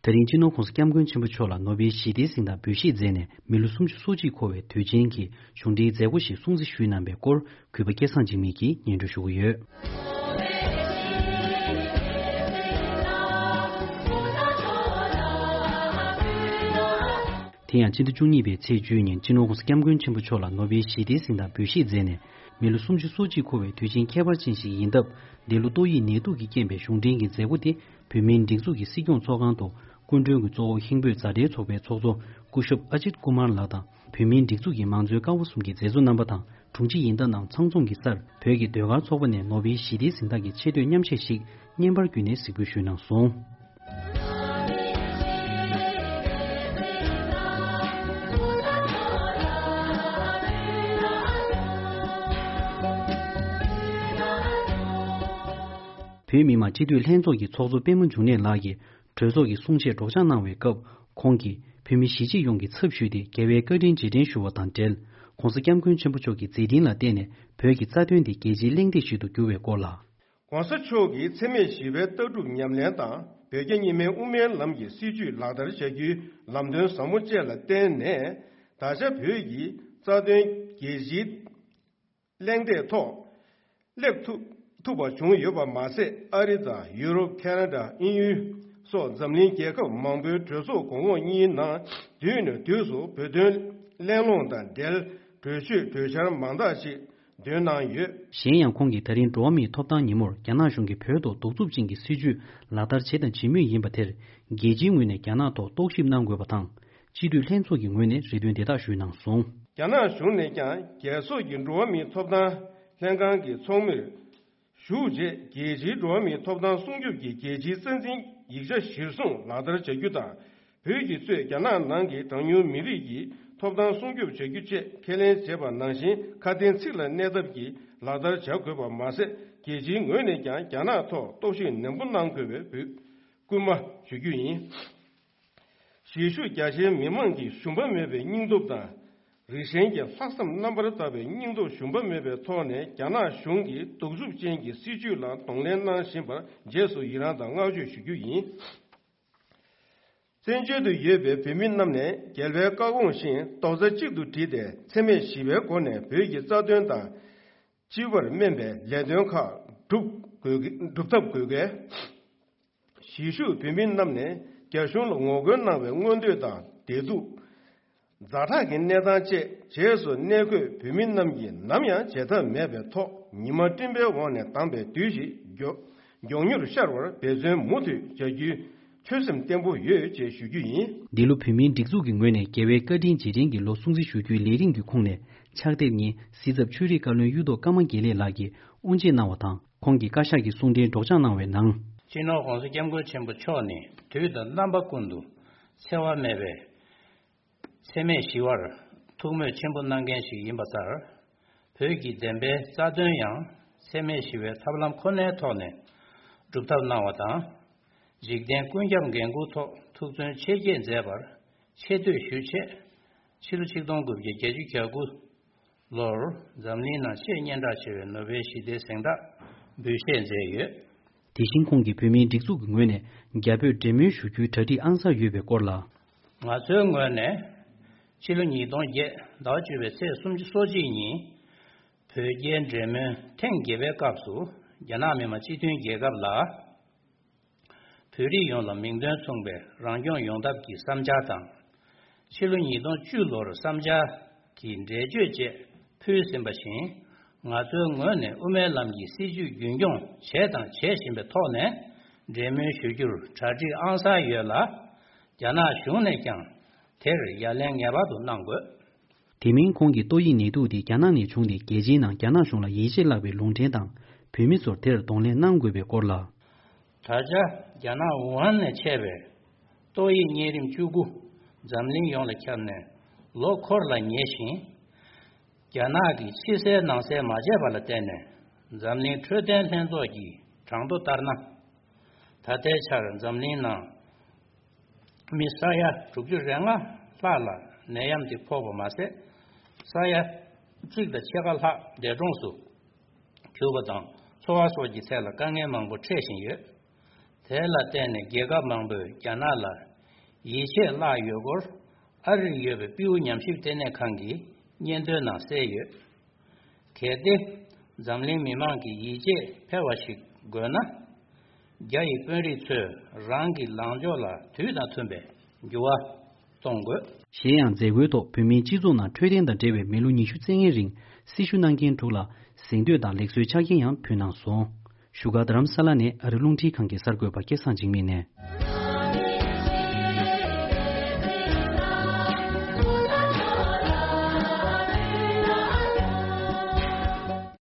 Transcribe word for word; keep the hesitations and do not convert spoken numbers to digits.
ད་རིང་སྤྱི་ནོར་༸གོང་ས་༸སྐྱབས་མགོན་ཆེན་པོ་མཆོག་ལ་ནོ་བེལ་ཞི་བདེའི་གཟེངས་རྟགས་འབུལ་བཞེས་མཛད་ནས་མི་ལོ་སུམ་ཅུ་སོ་གཅིག་འཁོར་བའི་དུས་ཆེན་གྱི་གཞུང་འབྲེལ་མཛད་སྒོ་ཞིག་སྲུང་བརྩི་ཞུས་གནང་བའི་སྐོར་གུས་པ་སྐལ་བཟང་འཇིགས་མེད་ཀྱིས་སྙན་སྒྲོན་ཞུ་གི་ཡོད། དེ་ཡང་སྤྱི་ཟླ་བཅུ་གཉིས་པའི་ཚེས་བཅུ་ཉིན་སྤྱི་ནོར་༸གོང་ས་༸སྐྱབས་མགོན་ཆེན་པོ་མཆོག་ལ་ནོ་བེལ་ཞི་བདེའི་གཟེངས་རྟགས་འབུལ་བཞེས་མཛད་ནས་མི་ལོ་སུམ་ཅུ་སོ་གཅིག་འཁོར་བའི་དུས་ཆེན་ཁྱད་པར་ཅན་ཞིག་ཡིན་སྟབས། འདི་ལོ་ཏོག་དབྱིབས་ནད་དུག་གི་རྐྱེན་པས་གཞུང་འབྲེལ་གྱི་མཛད་སྒོ་དེ་བོད་མིའི་སྒྲིག་འཛུགས་ཀྱི་སྲིད་སྐྱོང་ཚོགས་ཁང་དུ་སྐུ་མགྲོན་གྱི་གཙོ་བོ་ཧིན་བོད་མཛའ་འབྲེལ་ཚོགས་པའི་ཚོགས་གཙོ་སྐུ་ཞབས་ཨ་ཇིད་ཀུ་མར་ལགས་དང་བོད་མིའི་སྒྲིག་འཛུགས་ཀྱི་མང་གཙོའི་ཀ་བ་གསུམ་གྱི་མཛད་གཙོ་རྣམ་པ་དང་དྲུང་ཆེ་ཡིན་ལྟ་རྣམས་ཚང་འཛོམས་ཀྱི་སར་བོད་ཀྱི་ཟློས་གར་ཚོགས་པ་ནས་ནོ་བེལ་ཞི་བདེའི་གཟེངས་རྟགས་ཀྱི་ཆེ་བསྟོད་མཉམ་གཞས་ཤིག་བརྙན་པར་བརྒྱུད་ནས་གཟིགས་འབུལ་ཞུས་གནང་སོང་། བོད་མི་མང་སྤྱི་འཐུས་ལྷན་ཚོགས་ཀྱི་ཚོགས་གཙོ་པད་མ་འབྱུང་གནས་ལགས་ཀྱིས་གྲོས་ཚོགས་ཀྱི་གསུང་བཤད་སྒྲོག་སྦྱང་གནང་བའི་སྐབས་ཁོང་གིས་བོད་མི་གཞིས་བྱེས་ཡོངས་ཀྱི་ཚབ་ཞུས་ཏེ་རྒྱལ་བའི་བཀའ་དྲིན་རྗེས་དྲན་ཞུ་བ་དང་འབྲེལ་༸གོང་ས་༸སྐྱབས་མགོན་ཆེན་པོ་མཆོག་གི་མཛད་འཕྲིན་ལ་བརྟེན་ནས་བོད་ཀྱི་རྩ་དོན་དེ་རྒྱལ་སྤྱིའི་གླེང་སྟེགས་ཤིག་ཏུ་གྱུར་བའི་སྐོར་ལ། ༸གོང་ས་མཆོག་གིས་འཚེ་མེད་ཞི་བའི་ལྟ་གྲུབ་ཉམས་ལེན་དང་བོད་རྒྱ་གཉིས་སྨན་དབུ་མའི་ལམ་གྱི་སྲིད་བྱུས་ལག་བསྟར་བྱ་རྒྱུའི་ལམ་སྟོན་ཟབ་མོ་བཅས་ལ་བརྟེན་ནས་ད་ཆ་བོད་ཀྱི་རྩ་དོན་རྒྱལ་སྤྱིའི་གླེང་སྟེགས་ཐོག་སླེབས་ཐུབ་ཐུབ་པ་བྱུང་ཡོད་པ་མ་ཟད། ཨ་རི་དང་ཡུ་རོབ། ཁ་ན་ཌ། དབྱིན་ཡུལ་སོགས་འཛམ་གླིང་རྒྱལ་ཁབ་མང་པོའི་གྲོས་ཚོགས་གོང་འོག་གཉིས་ནང་དུས་ནས་དུས་སུ་བོད་དོན་གླེང་སློང་དང་འབྲེལ་གྲོས་ཆོད་གྲོས་འཆར་མང་དག་ཅིག་འདོན་གནང་ཡོད། གཞན་ཡང་ཁོང་གིས་ད་རིང་འགྲོ་བ་མིའི་ཐོབ་ཐང་ཉིན་མོར་རྒྱ་ནག་གཞུང་གིས་བོད་ཐོག་གདུག་རྩུབ་ཅན་གྱི་སྲིད་བྱུས་ལག་བསྟར་བྱས་དང་བྱེད་མུས་ཡིན་པ་དེར་རྒྱལ་སྤྱིའི་ངོས་ནས་རྒྱ་ནག་ཐོག་རྟོག་ཞིབ་གནང་དགོས་པ་དང་། སྤྱི་འཐུས་ལྷན་ཚོགས་ཀྱི་ངོས་ནས་རེ་འདུན་དེ་དག་ཞུས་གནང་སོང་། རྒྱ་ནག་གཞུང་ནས་ཀྱང་རྒྱལ་ཚོགས་ཀྱི་འགྲོ་བ་མིའི་ཐོབ་ཐང་ལྷན་ཁང་གི་ཚོགས་མིར་ཞུགས་རྗེས་རྒྱལ་སྤྱིའི་འགྲོ་བ་མིའི་ཐོབ་ཐང་སྲུང་སྐྱོབ་ཀྱི་རྒྱལ་སྤྱིའི་རྩ་འཛིན་ཡིག་ཆ་གཞིར་བཟུང་ལག་བསྟར་བྱ་རྒྱུ་དང་། བོད་ཀྱིས་གཙོས་རྒྱ་ནག་ནང་གི་གྲངས་ཉུང་མི་རིགས་ཀྱི་ཐོབ་ཐང་སྲུང་སྐྱོབ་བྱ་རྒྱུ་བཅས་ཁས་ལེན་བྱས་པ་ནང་བཞིན་ཁ་དན་ཚིག་ལ་གནས་ཐབས་ཀྱིས་ལག་བསྟར་བྱ་དགོས་པ་མ་ཟད། རྒྱལ་སྤྱིའི་ངོས་ནས་ཀྱང་རྒྱ་ནག་ཐོག་རྟོག་ཞིབ་ནན་པོ་གནང་དགོས་པའི་འབོད་སྐུལ་མ་ཞུ་རྒྱུ་ཡིན། གཞིས་བཞུགས་རྒྱ་ཆེའི་མི་མང་གིས་ཞུམ་པ་མེད་པའི་སྙིང་སྟོབས་དང་། རིགས་ཞེན་གྱི་ལྷག་བསམ་རྣམ་པར་དག་པའི་སྙིང་སྟོབས་ཞུམ་པ་མེད་པའི་ཐོག་ནས་རྒྱ་ནག་གཞུང་གི་གདུག་རྩུབ་ཅན་གྱི་སྲིད་བྱུས་ལ་གདོང་ལེན་གནང་བཞིན་པར་རྗེས་སུ་ཡི་རངས་དང་བསྔགས་བརྗོད་ཞུ་རྒྱུ་ཡིན། བཙན་བྱོལ་དུ་ཡོད་པའི་བོད་མི་རྣམས་ནས་རྒྱལ་བའི་བཀའ་དགོངས་བཞིན་རྡོག་རྩ་གཅིག་ཏུ་བསྒྲིལ་ཏེ་འཚེ་མེད་ཞི་བའི་སྒོ་ནས་བོད་ཀྱི་རྩ་དོན་དང་། སྤྱི་པར་སྨན་པའི་ལས་དོན་ཁག་སྒྲུབ་དགོས་སྒྲུབ་ཐབས་དགོས་གལ། གཞིས་བཞུགས་བོད་མི་རྣམས་ནས་རྒྱ་གཞུང་ལ་ངོ་རྒོལ་གནང་བའི་མངོན་འདོད་དང་བདེ་སྡུག་ཛ་དྲག་གི་གནས་སྟངས་བཅས་རྗེས་སུ་གནས་འཁོད་བོད་མི་རྣམས་ཀྱིས་ནམ་ཡང་བརྗེད་ཐབས་མེད་པའི་ཐོག་ཉི་མ་སྤྲིན་པའི་འོག་ནས་དྭངས་པའི་དུས་ཤིག་མགྱོགས་མགྱོགས་མྱུར་ཤར་བར་འབད་བརྩོན་མུ་མཐུད་བྱ་རྒྱུའི་ཆོད་སེམས་བརྟན་པོ་ཡོད་ཅེས་ཞུ་རྒྱུ་ཡིན། འདི་ལོ་བོད་མིའི་སྒྲིག་འཛུགས་ཀྱི་ངོས་ནས་རྒྱལ་བའི་བཀའ་དྲིན་རྗེས་དྲན་གྱི་ལོ་སྲུང་བརྩི་ཞུ་རྒྱུའི་ལས་རིམ་གྱི་ཁོངས་ནས་ཕྱག་དེབ་གཉིས་གཟི་ཚབ་ཆོས་རིག་བཀའ་བློན་གཡུ་ཐོག་ཀརྨ་དགེ་ལེགས་ལགས་ཀྱིས་དབུ་འབྱེད་གནང་བ་དང་། ཁོང་གིས་བཀའ་ཤག་གི་གསུང་འཕྲིན་སྒྲོག་སྦྱང་གནང་བའི་ནང་། སྤྱི་ནོར་༸གོང་ས་༸སྐྱབས་མགོན་ཆེན་པོ་མཆོག་ནི་དུས་དང་རྣམ་པ་ཀུན་ཏུ་འཚེ་བ་མེད་པའི་འཚེ་མེད་ཞི་བར་ཐུགས་མོས་ཆེན་པོ་གནང་མཁན་ཞིག་ཡིན་པ་ལྟར། བོད་ཀྱི་བདེན་པའི་རྩ་དོན་ཡང་འཚེ་མེད་ཞི་བའི་ཐབས་ལམ་ཁོ་ནའི་ཐོག་ནས་སྒྲུབ་ཐབས་གནང་བ་དང་། འཇིག་རྟེན་ཀུན་ཁྱབ་འགན་འཁུར་ཐོག་ཐུགས་བརྩོན་ཆེ་བསྐྱེད་མཛད་པར་ཆེ་བསྟོད་ཞུ་ཆེད། ཕྱི་ལོ་ཆིག་སྟོང་དགུ་བརྒྱ་བརྒྱད་ཅུ་གྱ་དགུ་ལོར་འཛམ་གླིང་ནང་ཆེས་སྙན་གྲགས་ཆེ་བའི་ནོ་བེལ་ཞི་བདེའི་གཟེངས་རྟགས་འབུལ་བཞེས་མཛད་ཡོད། དེ་བཞིན་ཁོང་གིས་བོད་མིའི་སྒྲིག་འཛུགས་ཀྱི་ངོས་ནས་རྒྱ་བོད་འབྲེལ་མོལ་ཞུ་རྒྱུའི་གྲ་སྒྲིག་ཨང་གསར་ཡོད་པའི་སྐོར་ལ། ང་ཚོའི་ངོས་ནས་ཕྱི་ལོ་ཉིས་སྟོང་བརྒྱད་ཟླ་བ་བཅུ་པའི་ཚེས་སུམ་ཅུ་སོ་གཅིག་ཉིན་བོད་རྒྱའི་འབྲེལ་མོལ་ཐེངས་བརྒྱད་པའི་སྐབས་སུ་རྒྱ་ནག་མི་དམངས་སྤྱི་མཐུན་རྒྱལ་ཁབ་ལ། བོད་རིགས་ཡོངས་ལ་མིང་དོན་མཚུངས་པའི་རང་སྐྱོང་ཡོང་ཐབས་ཀྱི་བསམ་འཆར་དང་། ཕྱི་ལོ་ཉིས་སྟོང་བཅུ་ལོར་བསམ་འཆར་གྱི་འགྲེལ་བརྗོད་བཅས་ཕུལ་ཟིན་པ་བཞིན། ང་ཚོའི་ངོས་ནས་དབུ་མའི་ལམ་གྱི་སྲིད་བྱུས་རྒྱུན་སྐྱོང་བྱས་དང་བྱེད་བཞིན་པའི་ཐོག་ནས་འབྲེལ་མོལ་ཞུ་རྒྱུར་གྲ་སྒྲིག་ཨང་གསར་ཡོད་ལ། རྒྱ་ནག་གཞུང་ནས་ཀྱང་དེར་ཡ་ལན་ངེས་པར་དུ་གནང་དགོས། དེ་མིན་ཁོང་གིས་ཏོག་དབྱིབས་ནད་དུག་དེ་རྒྱ་ནག་ནས་བྱུང་སྟེ་རྒྱལ་སྤྱིའི་ནང་རྒྱ་ནག་གཞུང་ལ་ཡིད་ཆེས་བརླག་པའི་ལུང་འདྲེན་དང་བོད་མི་ཚོར་དེར་གདོང་ལེན་གནང་དགོས་པའི་སྐོར་ལ། ད་ཆ་རྒྱ་ནག་ཝུ་ཧན་ནས་མཆེད་པའི་ཏོག་དབྱིབས་གཉན་རིམས་བཅུ་དགུ་འཛམ་གླིང་ཡོངས་ལ་ཁྱབ་ནས་ལོ་འཁོར་ལ་ཉེ་ཞིང་། རྒྱ་ནག་གིས་ཕྱི་གསལ་ནང་གསལ་མ་བྱས་པ་ལ་བརྟེན་ནས་འཛམ་གླིང་འཕྲོད་བསྟེན་ལྷན་ཚོགས་ཀྱི་གྲངས་ཐོ་ལྟར་ན། ད་ལྟའི་ཆར་འཛམ་གླིང་ནང་མི་ས་ཡ་དྲུག་ཅུ་རེ་ལྔ་ལྷག་ལ་ནད་ཡམས་དེ་ཕོག་པ་མ་ཟད། ས་ཡ་གཅིག་དང་ཕྱེད་ཀ་ལྷག་འདས་གྲོངས་སུ་གྱུར་པ་དང་། འཚོ་བ་སོགས་ཀྱི་ཐད་ལ་དཀའ་ངལ་མང་པོ་འཕྲད་བཞིན་ཡོད། དེ་ལ་བརྟེན་ནས་རྒྱལ་ཁབ་མང་པོས་རྒྱ་ནག་ལ་ ཡིད་ཆེས་བརླག་ཡོད་སྐོར་ཨ་རིར་ཡོད་པའི་སྤྲེའུ་ཉམས་ཞིབ་ལྟེ་གནས་ཁང་གི་སྙན་ཐོའི་ནང་གསལ་ཡོད། གལ་ཏེ། འཛམ་གླིང་མི་མང་གི་ཡིད་ཆེས་འཕེར་བ་ཞིག་དགོས་ན། རྒྱ་ཡི་དཔོན་རིགས་ཚོས་རང་གི་ལངས་ཕྱོགས་ལ་དུས་དང་མཐུན་པའི་འགྱུར་བ་གཏོང་དགོས། གཞན་ཡང་མཛད་སྒོའི་ཐོག་བོད་མིའི་སྤྱི་ཚོགས་ནང་འཕྲོད་བསྟེན་དང་འབྲེལ་བའི་མི་ལོ་ཉི་ཤུ་རྩ་ལྔའི་རིང་སྲི་ཞུ་གནང་མཁན་དྲུག་ལ་གཟེངས་བསྟོད་དང་ལེགས་གསོའི་ཆ་རྐྱེན་ཡང་ཕུལ་གནང་སོང་། བཞུགས་སྒར་རྡ་རམ་ས་ལ་ནས་ཨ་རི་རླུང་འཕྲིན་ཁང་གི་གསར་འགོད་པ་སྐལ་བཟང་འཇིགས་མེད་ནས།